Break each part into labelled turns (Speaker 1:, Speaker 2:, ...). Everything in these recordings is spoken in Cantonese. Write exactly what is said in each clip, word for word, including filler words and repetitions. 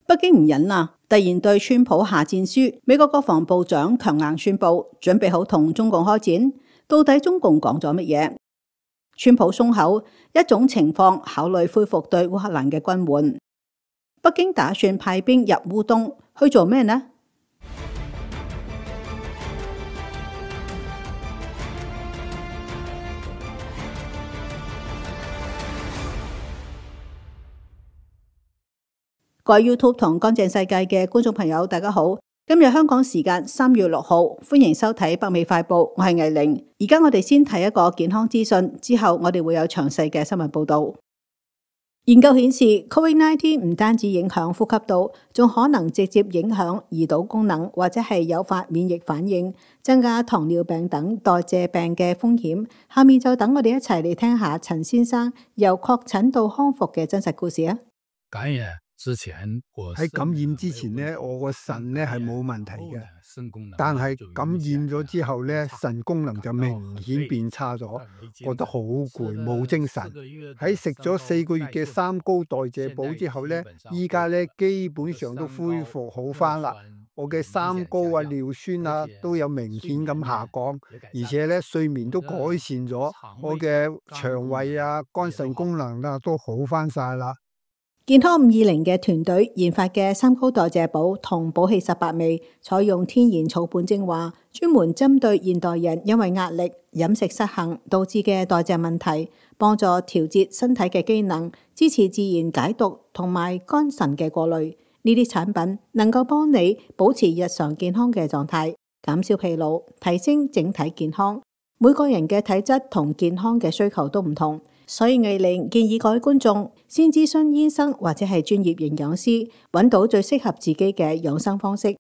Speaker 1: 北京唔忍啦，突然對川普下戰書，美國國防部長強硬宣布準備好同中共開戰。到底中共講咗乜嘢？川普鬆口，一種情況考慮恢復對烏克蘭嘅軍援。北京打算派兵入烏東去做咩呢？各位 YouTube 同乾淨世界嘅觀眾朋友，大家好。今日香港時間三月六號，歡迎收睇北美快報，我係藝玲。而家我哋先睇一個健康資訊，之後我哋會有詳細嘅新聞報道。研究顯示 ，Covid 十九 唔單止影響呼吸道，仲可能直接影響胰島功能，或者係誘發免疫反應，增加糖尿病等代謝病嘅風險。下面就等我哋一齊嚟聽下陳先生由確診到康復嘅真實故事啊！
Speaker 2: 感染之前，
Speaker 3: 喺感染之前咧，我個腎咧係冇問題嘅，但係感染咗之後咧，腎功能就明顯變差咗，覺得好攰，冇精神。喺食咗四個月嘅三高代謝補之後咧，依家咧基本上都恢復好返啦。我嘅三高啊、尿酸啊都有明顯咁下降，而且咧睡眠都改善咗，我嘅腸胃啊、肝腎功能啊都好返晒啦。
Speaker 1: 健康五二零嘅團隊研發嘅三高代謝補同補氣十八味，採用天然草本精華，專門針對現代人因為壓力、飲食失衡導致嘅代謝問題，幫助調節身體嘅機能，支持自然解毒同埋肝腎嘅過濾。呢啲產品能夠幫你保持日常健康嘅狀態，減少疲勞，提升整體健康。每個人嘅體質同健康嘅需求都唔同。所以藝玲建議各位觀眾先諮詢醫生或者係專業營養師，揾到最適合自己嘅養生方式。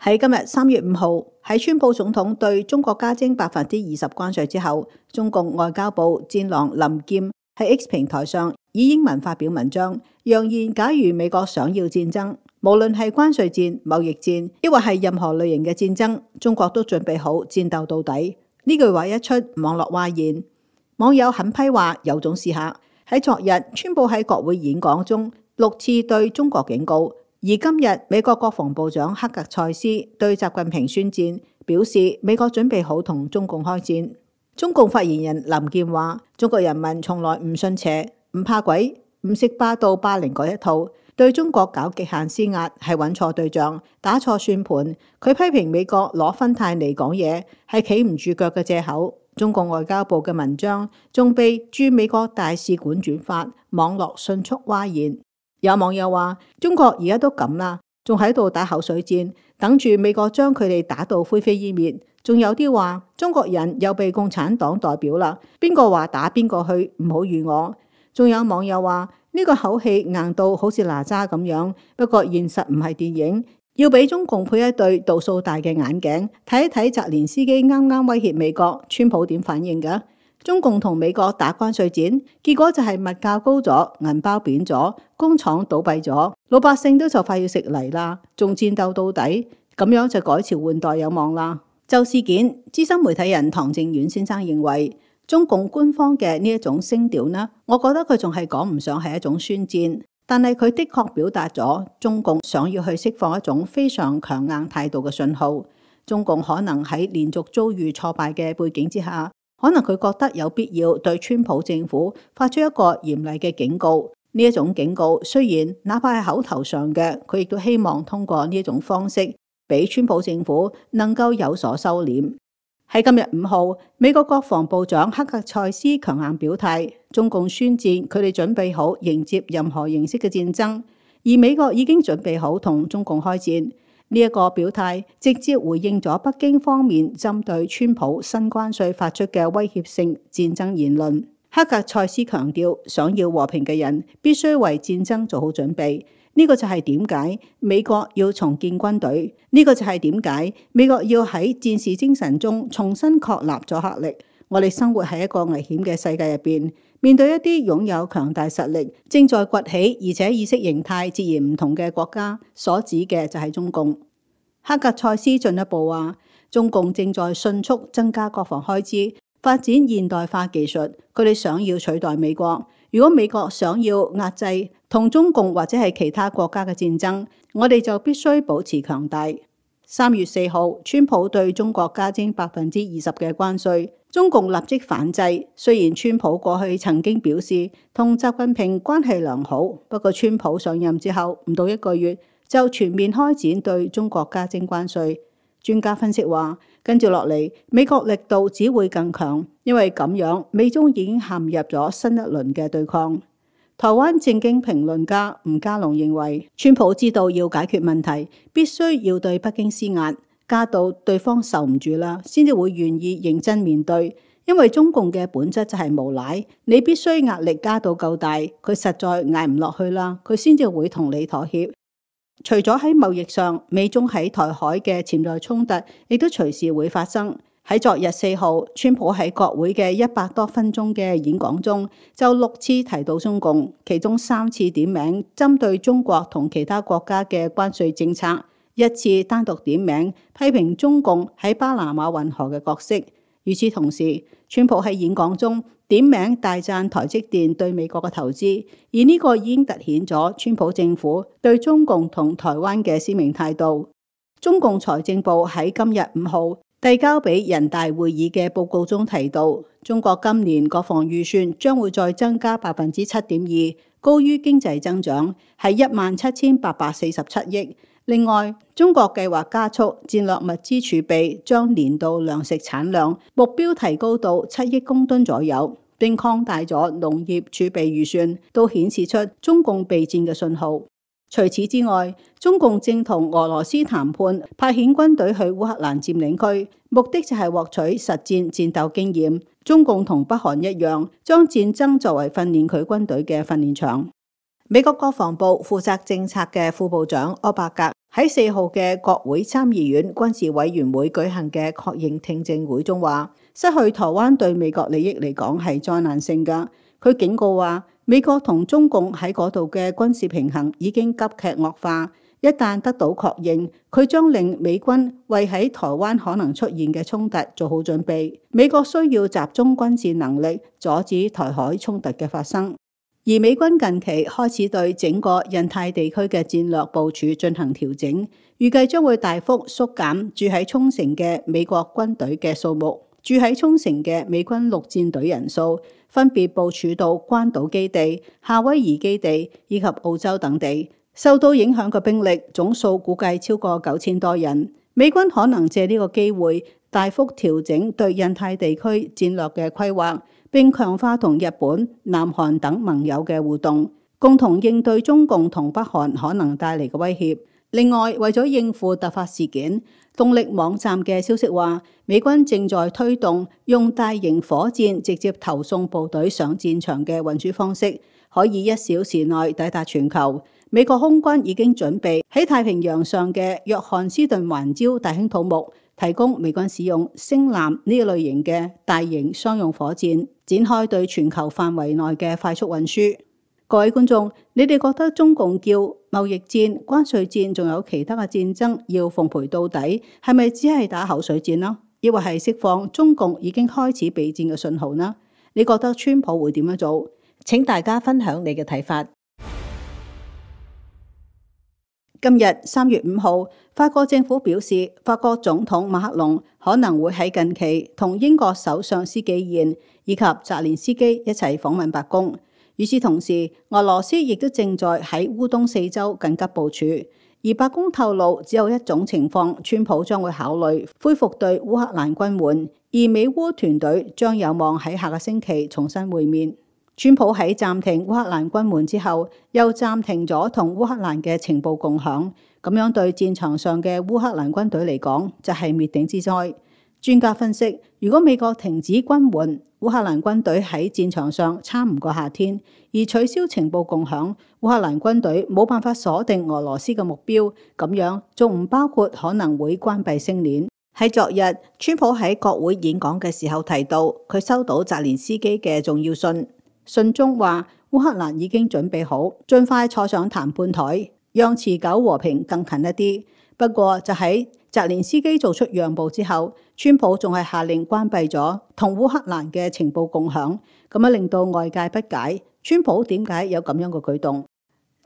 Speaker 1: 喺今日三月五號，喺川普總統對中國加徵百分之二十關稅之後，中共外交部戰狼林劍喺 X 平台上以英文發表文章，揚言假如美國想要戰爭，無論係關稅戰、貿易戰，抑或係任何類型嘅戰爭，中國都準備好戰鬥到底。呢句話一出，網絡譁然，網友狠批話有種試下。喺昨日，川普喺國會演講中六次對中國警告，而今日美國國防部長克格塞斯對習近平宣戰，表示美國準備好同中共開戰。中共發言人林劍話：中國人民從來唔信邪，唔怕鬼，唔識霸道霸凌嗰一套。對中國搞極限施壓係揾錯對象，打錯算盤。佢批評美國攞芬太尼講嘢係企唔住腳嘅借口。中共外交部嘅文章仲被駐美國大使館轉發，網絡迅速譁然。有網友話：中國而家都咁啦，仲喺度打口水戰，等住美國將佢哋打到灰飛煙滅。仲有啲話中國人又被共產黨代表啦，邊個話打邊個去，唔好預我。仲有網友話：呢個口氣硬到好似哪吒咁樣，不過現實唔係電影，要俾中共配一對度數大嘅眼鏡，睇一睇澤連斯基啱啱威脅美國，川普點反應㗎？中共同美國打關稅戰，結果就係物價高咗，銀包扁咗，工廠倒閉咗，老百姓都就快要食泥啦，仲戰鬥到底，咁樣就改朝換代有望啦。就事件，資深媒體人唐正遠先生認為，中共官方嘅呢一種聲調呢，我覺得佢仲係講唔上係一種宣戰，但係佢的確表達咗中共想要去釋放一種非常強硬態度嘅信號。中共可能喺連續遭遇挫敗嘅背景之下，可能佢覺得有必要對川普政府發出一個嚴厲嘅警告。呢一種警告雖然哪怕係口頭上嘅，佢亦都希望通過呢一種方式，俾川普政府能夠有所收斂。喺今日五號，美國國防部長克格塞斯強硬表態，中共宣戰，佢哋準備好迎接任何形式嘅戰爭，而美國已經準備好同中共開戰。呢一個表態直接回應咗北京方面針對川普新關稅發出嘅威脅性戰爭言論。克格塞斯強調，想要和平嘅人必須為戰爭做好準備。呢個就係點解美國要重建軍隊，呢個就係點解美國要喺戰士精神中重新確立阻嚇力。我哋生活喺一個危險嘅世界入邊，面對一啲擁有強大實力、正在崛起而且意識形態截然唔同嘅國家，所指嘅就係中共。克格塞斯進一步話，中共正在迅速增加國防開支，發展現代化技術，佢哋想要取代美國。如果美國想要壓制同中共或者係其他國家嘅戰爭，我哋就必須保持強大。三月四號，川普對中國加徵百分之二十嘅關稅，中共立即反制。雖然川普過去曾經表示同習近平關係良好，不過川普上任之後唔到一個月就全面開展對中國加徵關稅。專家分析話，跟住落嚟，美國力度只會更強，因為咁樣美中已經陷入咗新一輪嘅對抗。台灣政經評論家吳家龍認為，川普知道要解決問題，必須要對北京施壓，加到對方受唔住啦，先至會願意認真面對。因為中共嘅本質就係無賴，你必須壓力加到夠大，佢實在捱唔落去啦，佢先至會同你妥協。除咗喺貿易上，美中喺台海嘅潛在衝突亦都隨時會發生。喺昨日四號，川普喺國會嘅一百多分鐘嘅演講中，就六次提到中共，其中三次點名針對中國同其他國家嘅關稅政策，一次單獨點名批評中共喺巴拿馬運河嘅角色。與此同時，川普喺演講中點名大讚台積電對美國嘅投資，而呢個已經凸顯咗川普政府對中共同台灣嘅鮮明態度。中共財政部喺今日五號遞交俾人大會議嘅報告中提到，中國今年國防預算將會再增加百分之七點二，高於經濟增長，係一萬七千八百四十七億。另外，中國計劃加速戰略物資儲備，將年度糧食產量目標提高到七億公噸左右，並擴大咗農業儲備預算，都顯示出中共備戰嘅信號。除此之外，中共正同俄羅斯談判派遣軍隊去烏克蘭佔領區，目的就係獲取實戰戰鬥經驗。中共同北韓一樣，將戰爭作為訓練佢軍隊嘅訓練場。美國國防部負責政策嘅副部長柯伯格喺四號嘅國會參議院軍事委員會舉行嘅確認聽證會中話，失去台灣對美國利益嚟講係災難性㗎。佢警告話，美國同中共喺嗰度嘅軍事平衡已經急劇惡化，一旦得到確認，佢將令美軍為喺台灣可能出現嘅衝突做好準備。美國需要集中軍事能力阻止台海衝突嘅發生。而美軍近期開始對整個印太地區嘅戰略部署進行調整，預計將會大幅縮減駐喺沖繩嘅美國軍隊嘅數目，駐喺沖繩嘅美軍陸戰隊人數分別部署到關島基地、夏威夷基地以及澳洲等地。受到影響嘅兵力總數估計超過九千多人。美軍可能借呢個機會大幅調整對印太地區戰略嘅規劃，並強化同日本、南韓等盟友嘅互動，共同應對中共同北韓可能帶嚟嘅威脅。另外，為咗應付突發事件，動力網站嘅消息話，美軍正在推動用大型火箭直接投送部隊上戰場嘅運輸方式，可以一小時內抵達全球。美國空軍已經準備喺太平洋上嘅約翰斯頓環礁大興土木，提供美軍使用星艦呢類型嘅大型商用火箭，展開對全球範圍內嘅快速運輸。各位觀眾，你哋覺得中共叫貿易戰、關稅戰，仲有其他嘅戰爭要奉陪到底，係咪只係打口水戰呢？抑或係釋放中共已經開始備戰嘅信號呢？你覺得川普會點樣做？請大家分享你嘅睇法。今日三月五號，法國政府表示，法國總統馬克龍可能會喺近期同英國首相施紀賢以及澤連斯基一齊訪問白宮。與此同時，俄羅斯亦都正在喺烏東四周緊急部署。而白宮透露，只有一種情況，川普將會考慮恢復對烏克蘭軍援，而美烏團隊將有望喺下個星期重新會面。川普喺暫停烏克蘭軍援之後，又暫停咗同烏克蘭嘅情報共享，咁樣對戰場上嘅烏克蘭軍隊嚟講就係滅頂之災。專家分析，如果美國停止軍援，烏克蘭軍隊喺戰場上撐唔過夏天，而取消情報共享，烏克蘭軍隊冇辦法鎖定俄羅斯嘅目標，咁樣仲唔包括可能會關閉星鏈。喺昨日，川普喺國會演講嘅時候提到，佢收到澤連斯基嘅重要信。信中話，烏克蘭已經準備好，盡快坐上談判台，讓持久和平更近一啲。不過就喺澤連斯基做出讓步之後，川普仲係下令關閉咗同烏克蘭嘅情報共享，咁樣令到外界不解，川普點解有咁樣嘅舉動？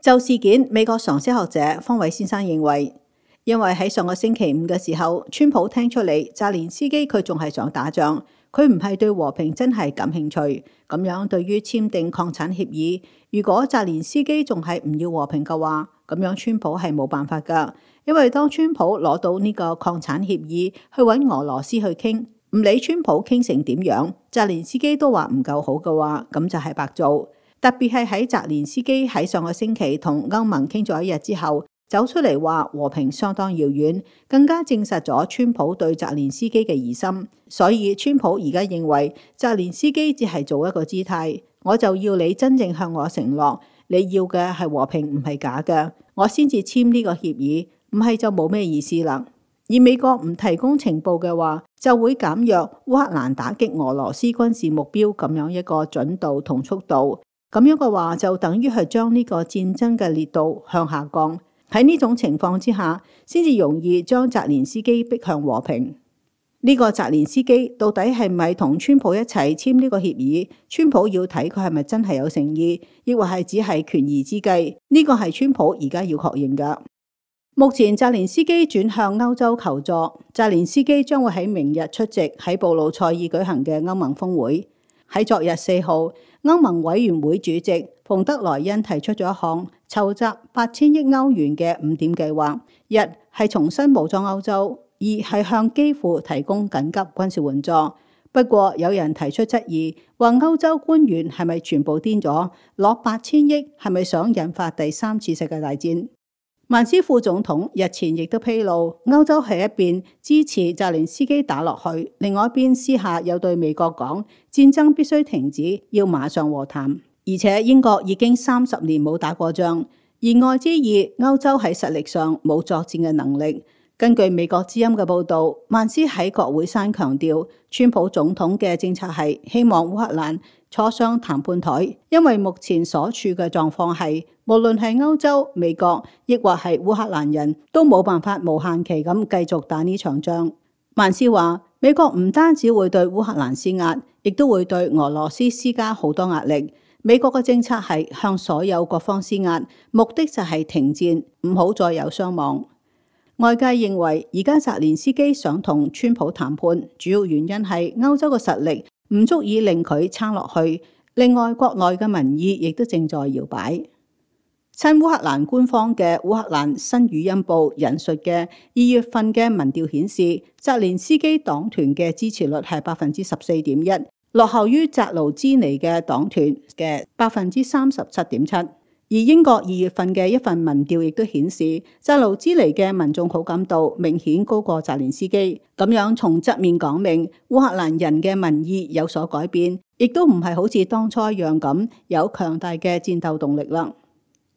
Speaker 1: 就事件，美國常識學者方偉先生認為，因為喺上個星期五嘅時候，川普聽出嚟澤連斯基佢仲係想打仗，佢唔係對和平真係感興趣。咁樣對於簽訂礦產協議，如果澤連斯基仲係唔要和平嘅話，咁樣川普係冇辦法㗎。因為當川普攞到呢個礦產協議去揾俄羅斯去傾，唔理川普傾成點樣，澤連斯基都話唔夠好嘅話，咁就係白做。特別係喺澤連斯基喺上個星期同歐盟傾咗一日之後，走出嚟話和平相當遙遠，更加證實咗川普對澤連斯基嘅疑心。所以川普而家認為澤連斯基只係做一個姿態，我就要你真正向我承諾，你要嘅係和平，唔係假嘅，我先至簽呢個協議，唔係就冇咩意思啦。而美國唔提供情報嘅話，就會減弱烏克蘭打擊俄羅斯軍事目標咁樣一個準度同速度。咁樣嘅話，就等於係將呢個戰爭嘅烈度向下降。喺呢種情況之下，先至容易將澤連斯基逼向和平。呢個澤連斯基到底係咪同川普一齊簽呢個協議？川普要睇佢係咪真係有誠意，抑或係只係權宜之計？呢個係川普而家要確認㗎。目前澤連斯基轉向歐洲求助，澤連斯基將會喺明日出席喺布魯塞爾舉行嘅歐盟峰會。喺昨日四號，歐盟委員會主席馮德萊恩提出咗一項籌集八千億歐元嘅五點計劃，一係重新武裝歐洲，二係向基輔提供緊急軍事援助。不過有人提出質疑，話歐洲官員係咪全部癲咗？攞八千億係咪想引發第三次世界大戰？曼斯副總統日前亦都披露，歐洲係一邊支持澤連斯基打落去，另外一邊私下又對美國講，戰爭必須停止，要馬上和談。而且英國已經三十年冇打過仗，言外之意，歐洲喺實力上冇作戰嘅能力。根據美國之音嘅報導，曼斯喺國會山強調，川普總統嘅政策係希望烏克蘭坐上談判台，因為目前所處嘅狀況係，無論係歐洲、美國，亦或係烏克蘭人都冇辦法無限期咁繼續打呢場仗。曼斯話，美國唔單止會對烏克蘭施壓，亦都會對俄羅斯施加好多壓力。美國嘅政策係向所有各方施壓，目的就係停戰，唔好再有傷亡。外界認為，而家澤連斯基想同川普談判，主要原因係歐洲嘅實力唔足以令佢撐落去。另外，國內嘅民意亦都正在搖擺。親烏克蘭官方嘅烏克蘭新語音報引述嘅二月份嘅民調顯示，澤連斯基黨團嘅支持率係百分之十四點一，落後於澤盧茲尼嘅黨團嘅百分之三十七點七。而英國二月份嘅一份民調亦都顯示，澤盧茲尼嘅民眾好感度明顯高過澤連斯基。咁樣從側面講明，烏克蘭人嘅民意有所改變，亦都唔係好似當初一樣咁有強大嘅戰鬥動力啦。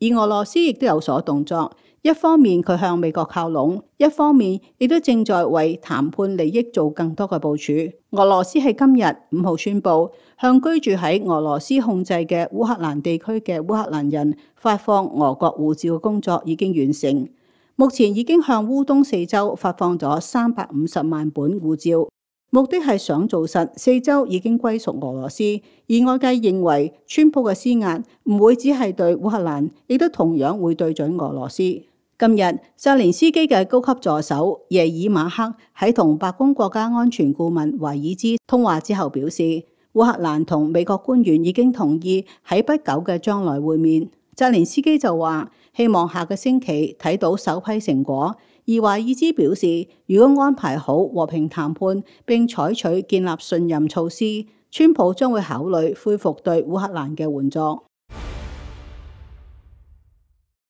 Speaker 1: 而俄羅斯亦都有所動作，一方面佢向美國靠攏，一方面亦都正在為談判利益做更多嘅部署。俄羅斯喺今日五號宣布，向居住喺俄羅斯控制嘅烏克蘭地區嘅烏克蘭人發放俄國護照嘅工作已經完成，目前已經向烏東四州發放咗三百五十萬本護照。目的係想做實四州已經歸屬俄羅斯，而外界認為川普嘅施壓唔會只係對烏克蘭，亦都同樣會對準俄羅斯。今日澤連斯基嘅高級助手耶爾馬克喺同白宮國家安全顧問懷爾茲通話之後表示，烏克蘭同美國官員已經同意喺不久嘅將來會面。澤連斯基就話希望下個星期睇到首批成果。而華爾茲表示，如果安排好和平談判並採取建立信任措施，川普將會考慮恢復對烏克蘭嘅援助。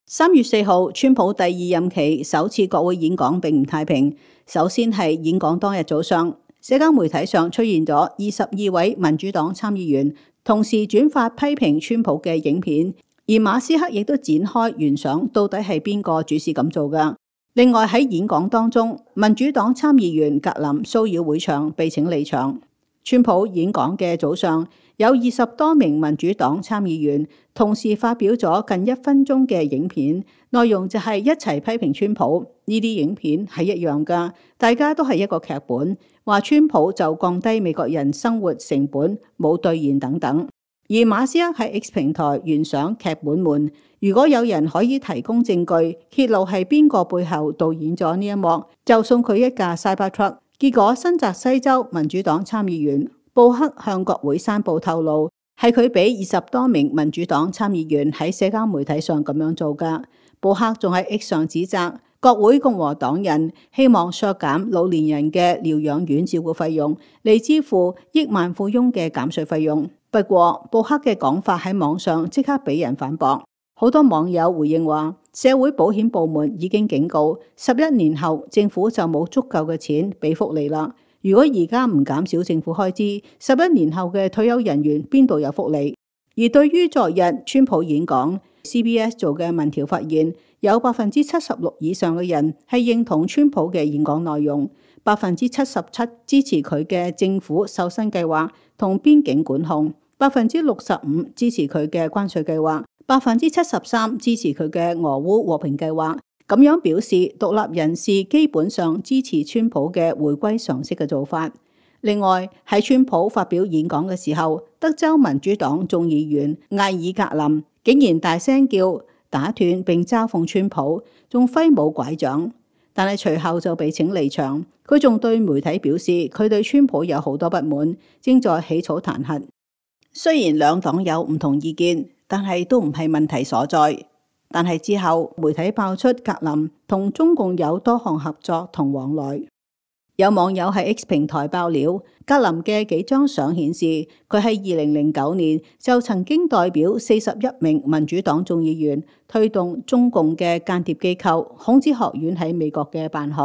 Speaker 1: 三月四號，川普第二任期首次國會演講並唔太平。首先係演講當日早上，社交媒體上出現咗二十二位民主黨參議員同時轉發批評川普嘅影片，而馬斯克亦都展開懸賞，到底係邊個主事咁做㗎？另外喺演講當中，民主黨參議員格林騷擾會場，被請離場。川普演講嘅早上，有二十多名民主黨參議員同時發表咗近一分鐘嘅影片，內容就係一齊批評川普。呢啲影片係一樣㗎，大家都係一個劇本，話川普就降低美國人生活成本冇兌現等等。而馬斯克喺 X 平台懸賞劇本門，如果有人可以提供證據揭露係邊個背後導演咗呢一幕，就送佢一架 Cybertruck。結果新澤西州民主黨參議員布克向國會山報透露，係佢俾二十多名民主黨參議員喺社交媒體上咁樣做㗎。布克仲喺 X 上指責國會共和黨人希望削減老年人嘅療養院照顧費用，嚟支付億萬富翁嘅減稅費用。不過布克嘅講法喺網上即刻俾人反駁，好多網友回應話，社會保險部門已經警告，十一年後政府就冇足夠嘅錢俾福利啦。如果而家唔減少政府開支，十一年後嘅退休人員邊度有福利？而對於昨日川普演講， C B S 做嘅民調發現，有百分之七十六以上嘅人係認同川普嘅演講內容，百分之七十七支持佢嘅政府瘦身計劃同邊境管控，百分之六十五支持佢嘅關稅計劃，百分之七十三支持佢嘅俄烏和平計劃。咁樣表示，獨立人士基本上支持川普嘅回歸常識嘅做法。另外，喺川普發表演講嘅時候，德州民主黨眾議員艾爾格林竟然大聲叫打斷並嘲諷川普，仲揮舞拐杖，但係隨後就被請離場。佢仲對媒體表示，佢對川普有好多不滿，正在起草彈劾。雖然兩黨有唔同意見，但係都唔係問題所在。但係之後媒體爆出格林同中共有多項合作同往來。有網友喺 X 平台爆料，格林嘅幾張相顯示，佢喺二零零九年就曾經代表四十一名民主黨眾議員推動中共嘅間諜機構孔子學院喺美國嘅辦學。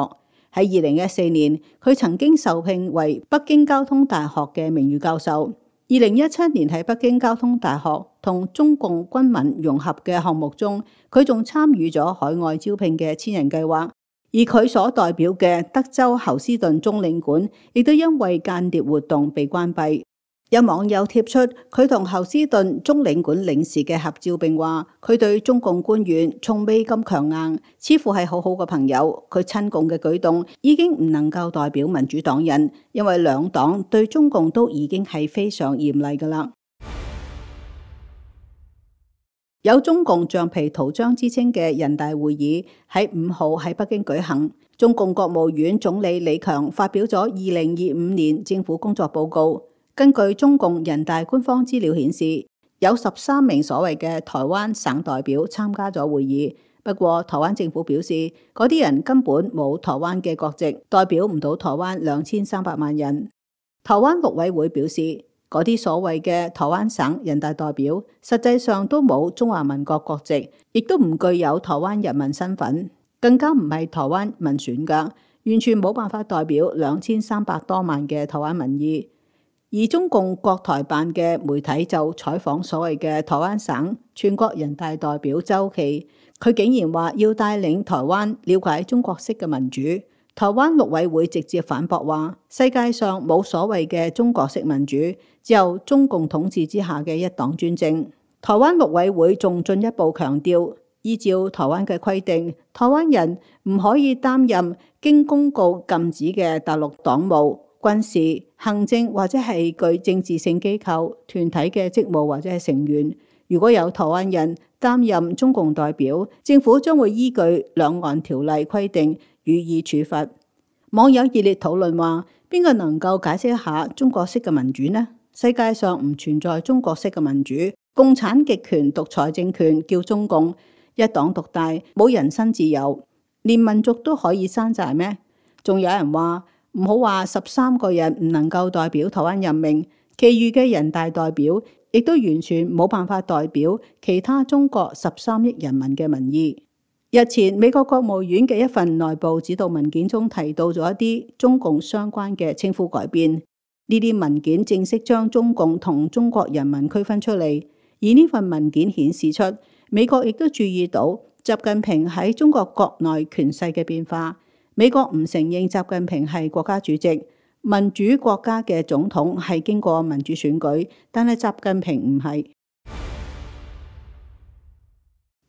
Speaker 1: 喺二零一四年，佢曾經受聘為北京交通大學嘅名譽教授。二零一七年喺北京交通大學同中共軍民融合嘅項目中，佢仲參與咗海外招聘嘅千人計劃。而佢所代表嘅德州侯斯頓中領館亦都因為間諜活動被關閉。有網友貼出佢同侯斯頓中領館領事嘅合照，並話佢對中共官員從未咁強硬，似乎係好好嘅朋友。佢親共嘅舉動已經唔能夠代表民主黨人，因為兩黨對中共都已經係非常嚴厲㗎喇。有中共橡皮圖章之稱嘅人大會議喺五號喺北京舉行，中共國務院總理李強發表咗二零二五年政府工作報告。根據中共人大官方資料顯示，有十三名所謂嘅台灣省代表參加咗會議。不過台灣政府表示，嗰啲人根本冇台灣嘅國籍，代表唔到台灣兩千三百萬人。台灣陸委會表示，嗰啲所謂嘅台灣省人大代表，實際上都冇中華民國國籍，亦都唔具有台灣人民身份，更加唔係台灣民選㗎，完全冇辦法代表兩千三百多萬嘅台灣民意。而中共國台辦嘅媒體就採訪所謂嘅台灣省全國人大代表周琪，佢竟然話要帶領台灣了解中國式嘅民主。台灣陸委會直接反駁話，世界上冇所謂嘅中國式民主，只有中共統治之下嘅一黨專政。台灣陸委會仲進一步強調，依照台灣嘅規定，台灣人唔可以擔任經公告禁止嘅大陸黨務、軍事、行政或者係具政治性機構團體嘅職務或者係成員。如果有台灣人擔任中共代表，政府將會依據兩岸條例規定予以處罰。網友熱烈討論話，邊個能夠解釋一下中國式嘅民主呢？世界上唔存在中國式嘅民主，共產極權獨裁政權叫中共，一黨獨大，冇人身自由，連民族都可以山寨咩？仲有人話，唔好話十三個人唔能夠代表台灣人民，其餘嘅人大代表亦都完全冇辦法代表其他中國十三億人民嘅民意。日前美國國務院嘅一份內部指導文件中提到咗一啲中共相關嘅稱呼改變，呢啲文件正式將中共同中國人民區分出嚟。而呢份文件顯示出，美國亦都注意到習近平喺中國國內權勢嘅變化。美國唔承認習近平係國家主席，民主國家嘅總統係經過民主選舉，但係習近平唔係。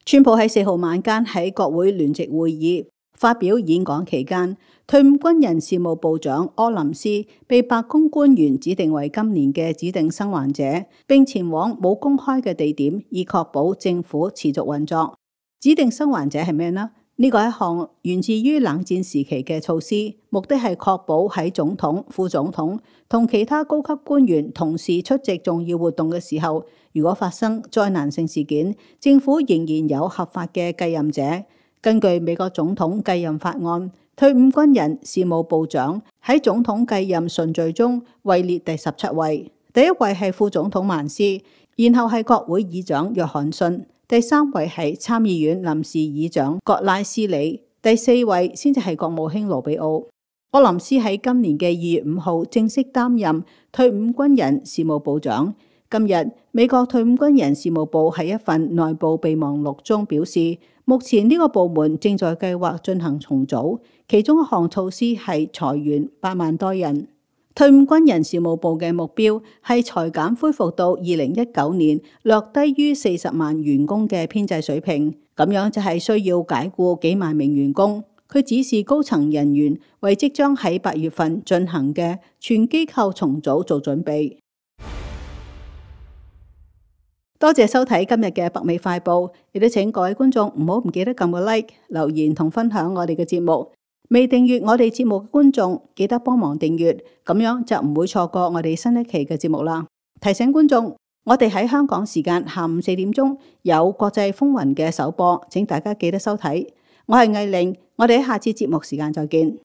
Speaker 1: 川普喺四號晚間喺國會聯席會議發表演講期間，退伍軍人事務部長柯林斯被白宮官員指定為今年嘅指定生還者，並前往冇公開嘅地點，以確保政府持續運作。指定生還者係咩呢？呢個係一項源自於冷戰時期嘅措施，目的係確保喺總統、副總統同其他高級官員同時出席重要活動嘅時候，如果發生災難性事件，政府仍然有合法嘅繼任者。根據美國總統繼任法案，退伍軍人事務部長喺總統繼任順序中位列第十七位，第一位係副總統曼斯，然後係國會議長約翰遜，第三位係參議院臨時議長葛拉斯里，第四位先至係國務卿盧比奧。柯林斯喺今年嘅二月五號正式擔任退伍軍人事務部長。今日美國退伍軍人事務部喺一份內部備忘錄中表示，目前呢個部門正在計劃進行重組，其中一項措施係裁員八萬多人。退伍軍人事務部嘅目標係裁減恢復到二零一九年略低於四十萬員工嘅編制水平，咁樣就係需要解僱幾萬名員工。佢指示高層人員為即將喺八月份進行嘅全機構重組做準備。多謝收睇今日嘅北美快報，亦都請各位觀眾唔好唔記得撳個 like、留言同分享我哋嘅節目。未訂閱我哋節目嘅觀眾，記得幫忙訂閱，咁樣就唔會錯過我哋新一期嘅節目啦。提醒觀眾，我哋喺香港時間下午四點鐘有國際風雲嘅首播，請大家記得收睇。我係藝玲，我哋喺下次節目時間再見。